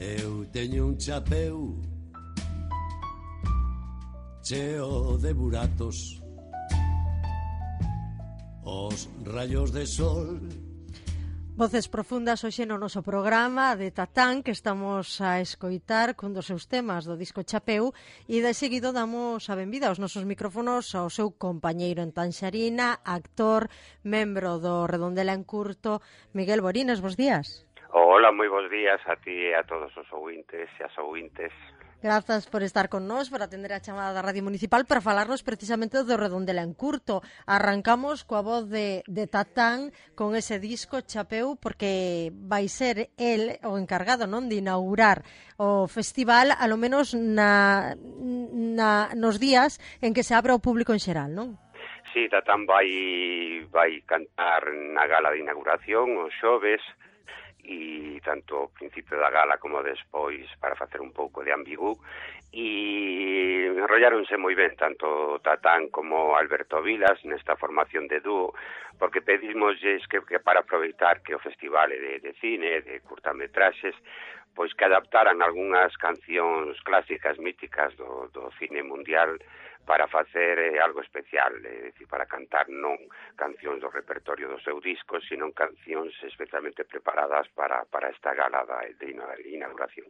Eu teño un chapeu cheo de buratos, os rayos de sol. Voces profundas hoxe no noso programa de Tatán, que estamos a escoitar cun dos seus temas do disco Chapeu, e de seguido damos a benvida aos nosos micrófonos ao seu compañeiro en Tanxarina, actor, membro do Redondela en Curto, Miguel Borines. Bos días. Hola, moi bons días a ti e a todos os ouvintes e as ouvintes. Grazas por estar con nós, por atender a chamada da Radio Municipal para falarnos precisamente do Redondela en Curto. Arrancamos coa voz de Tatán con ese disco Chapeu, porque vai ser el o encargado, non, de inaugurar o festival, alo menos nos días en que se abre ao público en xeral, non? Sí, Tatán vai cantar na gala de inauguración os xoves, e tanto ao principio da gala como despois para facer un pouco de ambigú, e enrolláronse moi ben tanto Tatán como Alberto Vilas nesta formación de dúo, porque pedimosles que para aproveitar que o festival é de cine, de curtametraxes, pois que adaptaran algunhas cancións clásicas míticas do cine mundial para facer algo especial, é dicir, para cantar non cancións do repertorio do seu disco, sino cancións especialmente preparadas para esta gala de inauguración.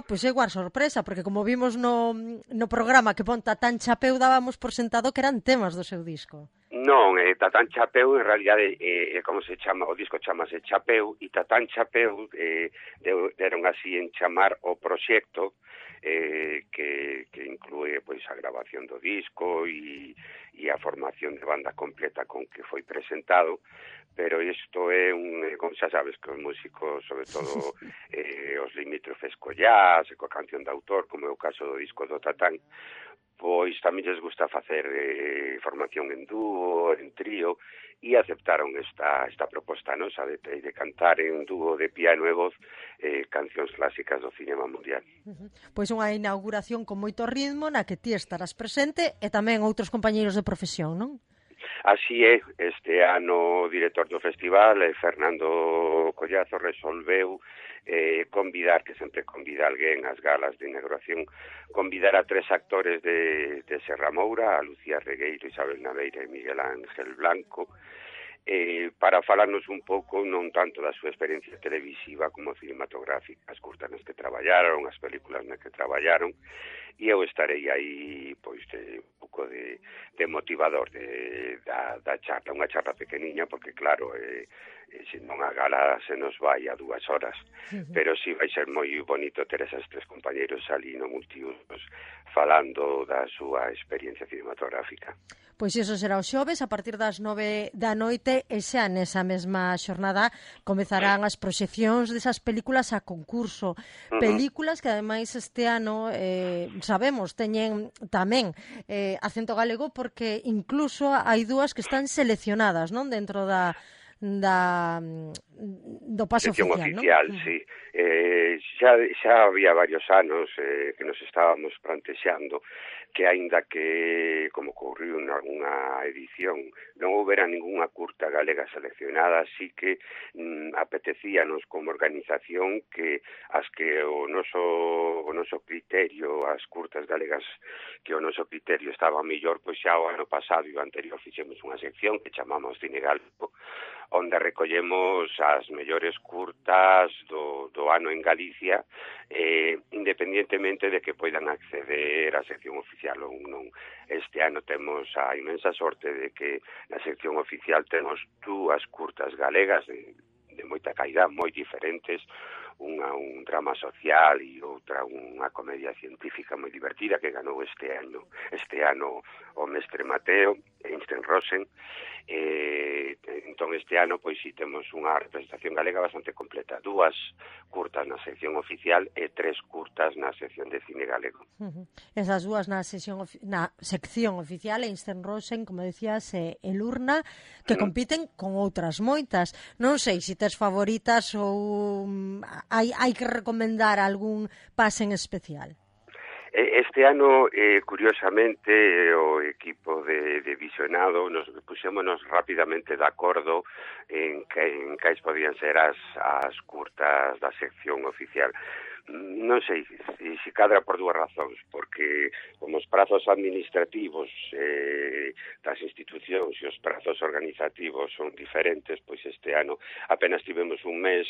Pois é igual sorpresa, porque como vimos no programa que pon Tatán Chapeu, dábamos por sentado que eran temas do seu disco. Non, Tatán Chapeu, en realidade, como se chama, o disco chamase Chapeu, e Tatán Chapeu deron así en chamar o proxecto, que inclúe pois a grabación do disco e a formación de banda completa con que foi presentado, pero isto é como xa sabes que os músicos, sobre todo os limítrofes co jazz, coa canción de autor, como é o caso do disco do Tatán, pois tamén lles gusta facer formación en dúo, en trío, e aceptaron esta proposta nosa de cantar en dúo de piano e voz cancións clásicas do cinema mundial. Pois unha inauguración con moito ritmo na que ti estarás presente e tamén outros compañeiros de profesión, non? Así é, este ano o director do festival, Fernando Collazo, resolveu convidar, que sempre convida alguén ás galas de inauguración, convidar a 3 actores de Serra Moura, a Lucía Regueiro, Isabel Naveira e Miguel Ángel Blanco, para falarnos un pouco non tanto da súa experiencia televisiva como cinematográfica, as curtas nas que traballaron, as películas nas que traballaron, e eu estarei aí pois un pouco de motivador da charla, unha charla pequeniña, porque claro, se non a gala se nos vai a 2 horas, pero sí vai ser moi bonito ter esos 3 compañeros ali no multiusos falando da súa experiencia cinematográfica. Pois iso será o xoves a partir das 9 da noite, e xa nesa mesma xornada comezarán as proxeccións desas películas a concurso. Películas que ademais este ano sabemos teñen tamén acento galego, porque incluso hai 2 que están seleccionadas, non, dentro do paso oficial, non? Sí. Xa había varios anos que nos estábamos plantexando que aínda que, como ocorriu en algunha edición, non houbera ninguna curta galega seleccionada, así que apetecíanos como organización que as que o noso criterio, as curtas galegas que o noso criterio estaba mellor, pois xa o ano pasado e o anterior fixemos unha sección que chamamos Cine Galego, onde recollemos as mellores curtas do ano en Galicia, independientemente de que poidan acceder á sección oficial ou non. Este ano temos a inmensa sorte de que na sección oficial temos 2 curtas galegas de moita calidad, moi diferentes, unha un drama social e outra unha comedia científica moi divertida que ganou este ano o Mestre Mateo, Einstein Rosen. Entón este ano pois si temos unha representación galega bastante completa, 2 curtas na sección oficial e 3 curtas na sección de cine galego. Esas 2 na sección oficial, Einstein Rosen, como decías, e Lurna, que compiten con outras moitas. Non sei se tes favoritas ou hai que recomendar algún pase en especial. Este ano, curiosamente, o equipo de visionado nos puxémonos rapidamente de acordo en cais podían ser as curtas da sección oficial. Non sei se cadra por dúas razóns, porque como os prazos administrativos das institucións e os prazos organizativos son diferentes, pois este ano apenas tivemos un mes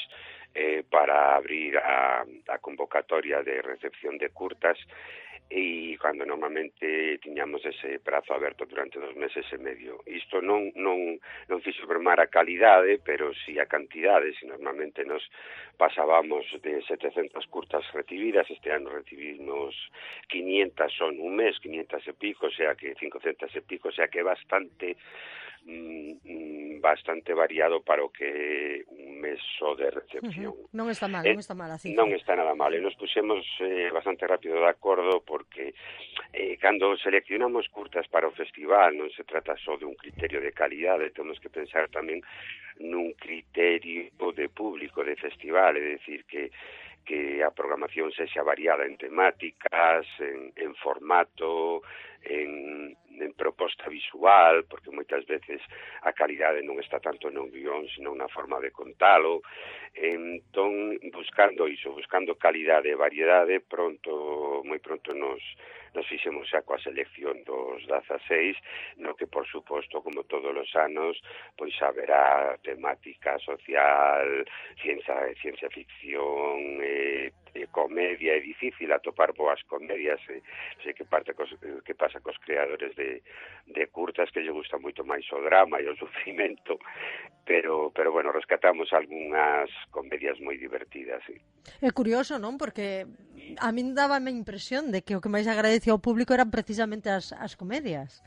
para abrir a convocatoria de recepción de curtas, e cando normalmente tiñamos ese prazo aberto durante 2 meses e medio. Isto non fixo mermar a calidade, pero si a cantidade, si normalmente nos pasábamos de 700 curtas recibidas, este ano recibimos 500 son un mes, 500 e pico, o sea que 500 e pico, o sea que é bastante variado para o que un mes só de recepción. Non está mal, non está mal a cifra. Non está nada mal, e nos puxemos bastante rápido de acordo porque cando seleccionamos curtas para o festival non se trata só de un criterio de calidade, temos que pensar tamén nun criterio de público de festival, é dicir que a programación sexa variada en temáticas, en formato, en proposta visual, porque moitas veces a calidade non está tanto no guión, sino na forma de contalo. Entón, buscando calidade e variedade, moi pronto nos fixemos xa coa selección dos 16, no que, por suposto, como todos os anos, pois haberá temática social, ciencia ficción, comedia. É difícil atopar boas comedias, sei que pasa cos creadores de curtas, que lle gusta moito máis o drama e o sufrimento, pero bueno, rescatamos algunhas comedias moi divertidas, sí. É curioso, non? Porque a min dábame a impresión de que o que máis agradecía ao público eran precisamente as comedias.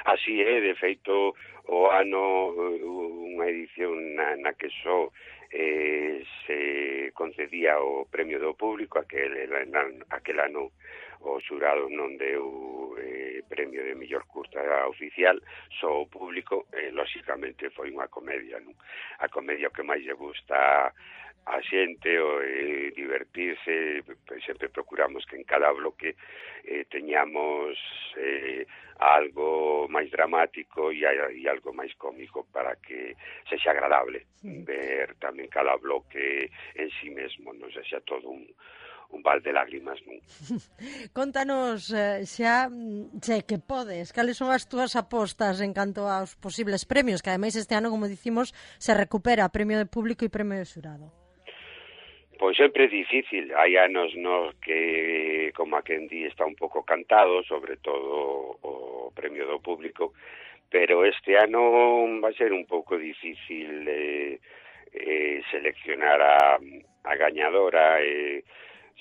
Así é, de feito, o ano, unha edición na que só se concedía o premio do público, aquel ano o xurado non deu premio de mellor curta oficial, só o público, lóxicamente foi unha comedia, non? A comedia que máis lle gusta a xente, o divertirse, sempre procuramos que en cada bloque teñamos algo máis dramático e algo máis cómico para que sexa agradable ver tamén cada bloque en sí mesmo, non sexa todo un val de lágrimas, non? Contanos xa, que podes, cales son as túas apostas en canto aos posibles premios, que ademais este ano, como dicimos, se recupera premio de público e premio de xurado. Pois sempre é difícil, hai anos nos que, como a quen di, está un pouco cantado, sobre todo o premio do público, pero este ano vai ser un pouco difícil seleccionar a gañadora,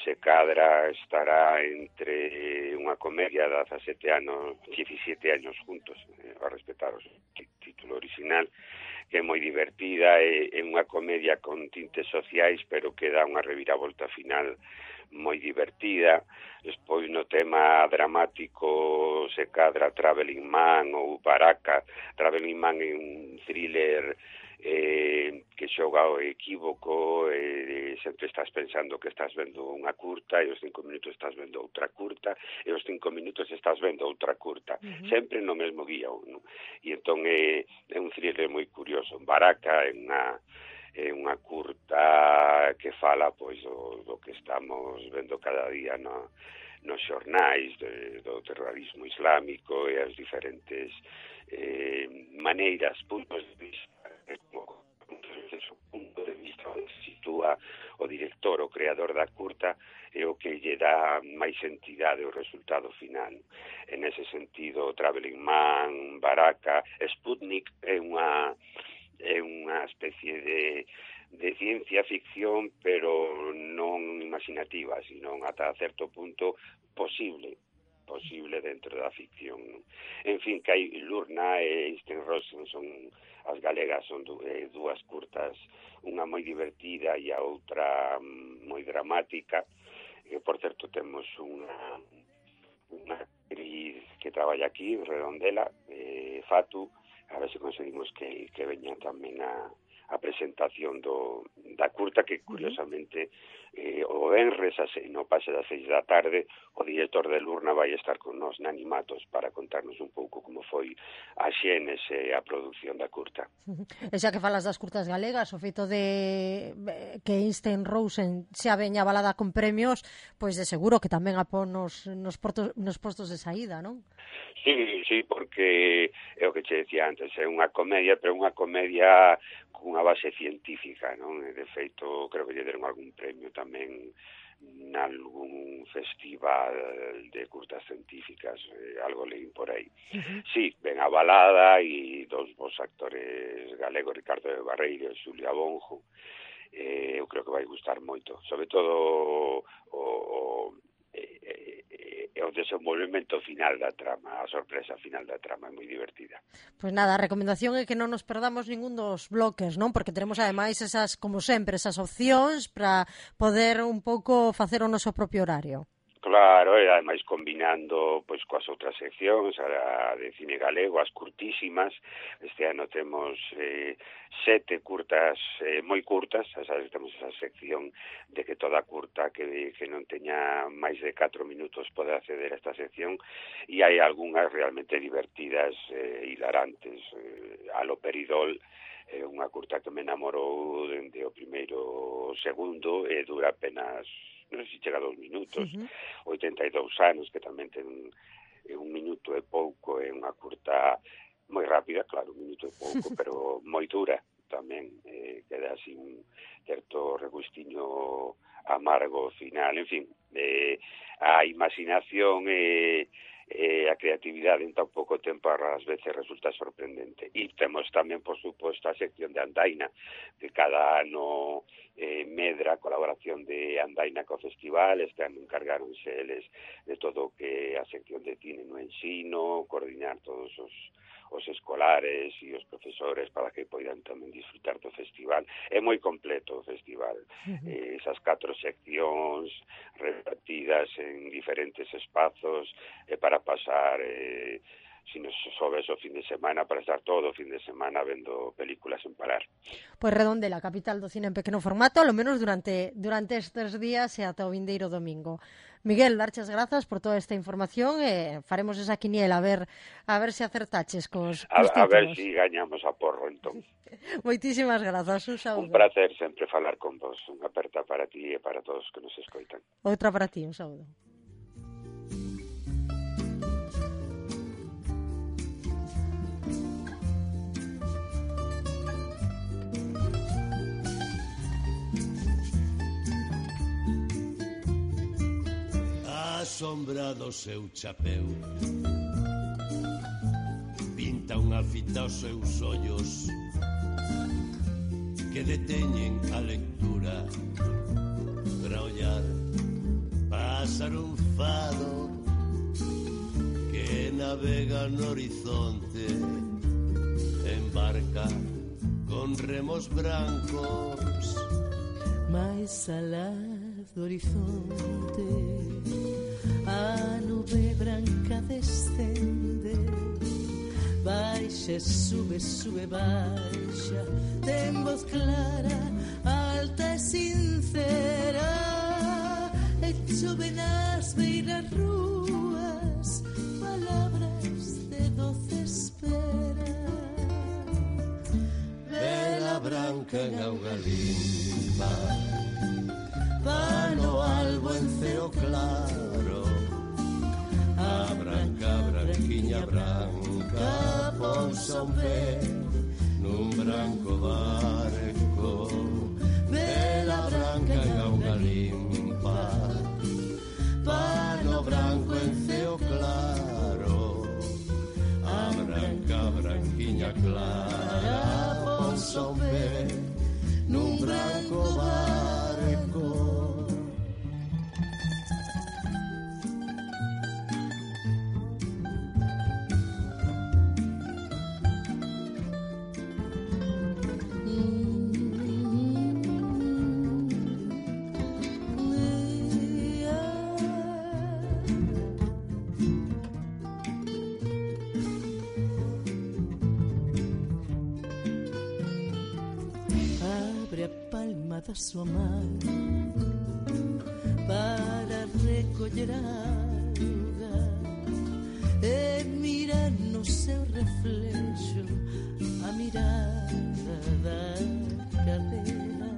se cadra estará entre unha comedia de 17 anos juntos, a respetar o título original, que é moi divertida, é unha comedia con tintes sociais, pero que dá unha reviravolta final moi divertida. Despois, no tema dramático, se cadra Traveling Man ou Baraka. Traveling Man é un thriller que xoga ao equívoco, sempre estás pensando que estás vendo unha curta e os 5 minutos estás vendo outra curta e os 5 minutos estás vendo outra curta, sempre no mesmo guión, non? E entón é un thriller moi curioso. Baraka é unha curta que fala pois do que estamos vendo cada día nos xornais do terrorismo islámico e as diferentes maneiras, puntos de vista, punto de vista onde se sitúa o director, o creador da curta, é o que lle dá máis entidade ao resultado final. En ese sentido, Traveling Man, Baraka, Sputnik é unha especie de ciencia ficción, pero non imaginativa, sino ata certo punto posible dentro da ficción. En fin, que hai Lurna e Einstein Rosen, son as galegas, son dúas curtas, unha moi divertida e a outra moi dramática. Por certo, temos unha actriz que traballa aquí, Redondela, Fatu, a ver se conseguimos que veña tamén a a presentación da curta, que curiosamente o venres no pase das 6 da tarde, o director de Lurna vai estar con nós na Animatos para contarnos un pouco como foi a xénese a produción da curta. E xa que falas das curtas galegas, o feito de que Einstein Rosen xa veña avalada con premios, pois de seguro que tamén a pon nos postos de saída, non? Sí, porque é o que che decía antes, é unha comedia, pero unha comedia cunha base científica, non? De feito, creo que lle deron algún premio tamén nalgún festival de curtas científicas, algo leí por aí. Sí, ben avalada, e dos bons actores galegos, Ricardo de Barreiro e Xulia Bonjo. Eu creo que vai gustar moito, sobre todo o desenvolvemento final da trama, a sorpresa final da trama é moi divertida. Pois nada, a recomendación é que non nos perdamos ningún dos bloques, non? Porque teremos ademais esas, como sempre, esas opcións para poder un pouco facer o noso propio horario. Claro, e ademais combinando pois coas outras seccións, a de cine galego, as curtísimas. Este ano temos 7 curtas moi curtas, sabes, temos esa sección de que toda curta que non teña máis de 4 minutos pode acceder a esta sección, e hai algunhas realmente divertidas e hilarantes. Alo Peridol, unha curta que me enamorou dende o primeiro segundo, e dura apenas, non sei se chega a 2 minutos, 82 anos, que tamén ten un minuto e pouco, é unha curta moi rápida, claro, un minuto e pouco, pero moi dura tamén, queda así un certo regustiño amargo final. En fin, a imaginación e a creatividade en tan pouco tempo ás veces resulta sorprendente. E temos tamén, por suposto, a sección de Andaina, que cada ano medra a colaboración de Andaina co festival. Este ano encargáronse eles de todo o que a sección de cine no ensino, coordinar todos os escolares e os profesores para que poidan tamén disfrutar do festival. É moi completo o festival. Esas 4 seccións repartidas en diferentes espazos para pasar, si nos sobes o fin de semana, para estar todo o fin de semana vendo películas sen parar. Pois Redondela, capital do cine en pequeno formato, ao menos durante estes días e ata o vindeiro domingo. Miguel, darches grazas por toda esta información e faremos esa quiniela a ver se acertaches cos títulos. A ver si gañamos a porro, entón. Moitísimas grazas, un saúdo. Un placer sempre falar con vos. Unha aperta para ti e para todos que nos escoitan. Outra para ti, un saúdo. A sombra do seu chapeu pinta unha fita aos seus ollos que deteñen a lectura para ollar pasar un fado que navega no horizonte en barca con remos brancos máis alá do horizonte a nube branca descende, baixa, sube, baixa, ten voz clara, alta e sincera, e chove nas beiras rúas, palabras de doce espera. Vela branca en auga limpa, pano albo en ceo claro, a branquiña branca ponsa un pé nun branco barco. Vela branca en auga limpa, pano branco en ceo claro, a branquiña clara ponsa un pé nun branco barco. su amar para recoller auga e mirar no seu reflexo a mirada da cadela.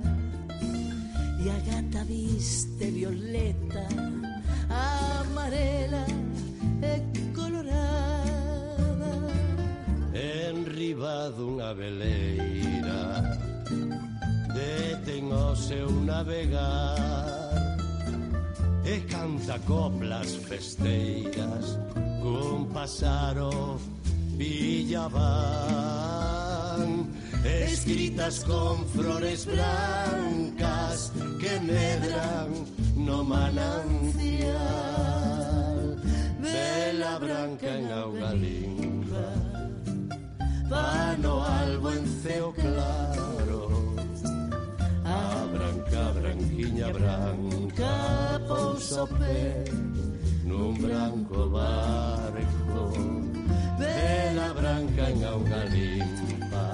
E a gata viste violeta, amarela e colorada. Enriba dunha veleira detén o seu navegar e canta coplas festeiras cun pasaro villaván, escritas con flores blancas que medran no manancial. Vela branca en auga limpa, vano albo en ceo claro, a branca, branquiña branca pousa o pé nun branco barco. Vela branca en auga limpa,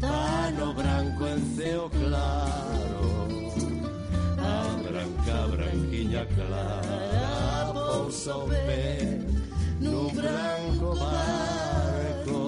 pano branco en ceo claro, a branca, branquiña clara pousa o pé nun branco barco.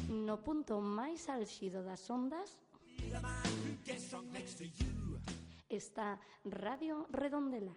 No punto máis álxido das ondas está Radio Redondela.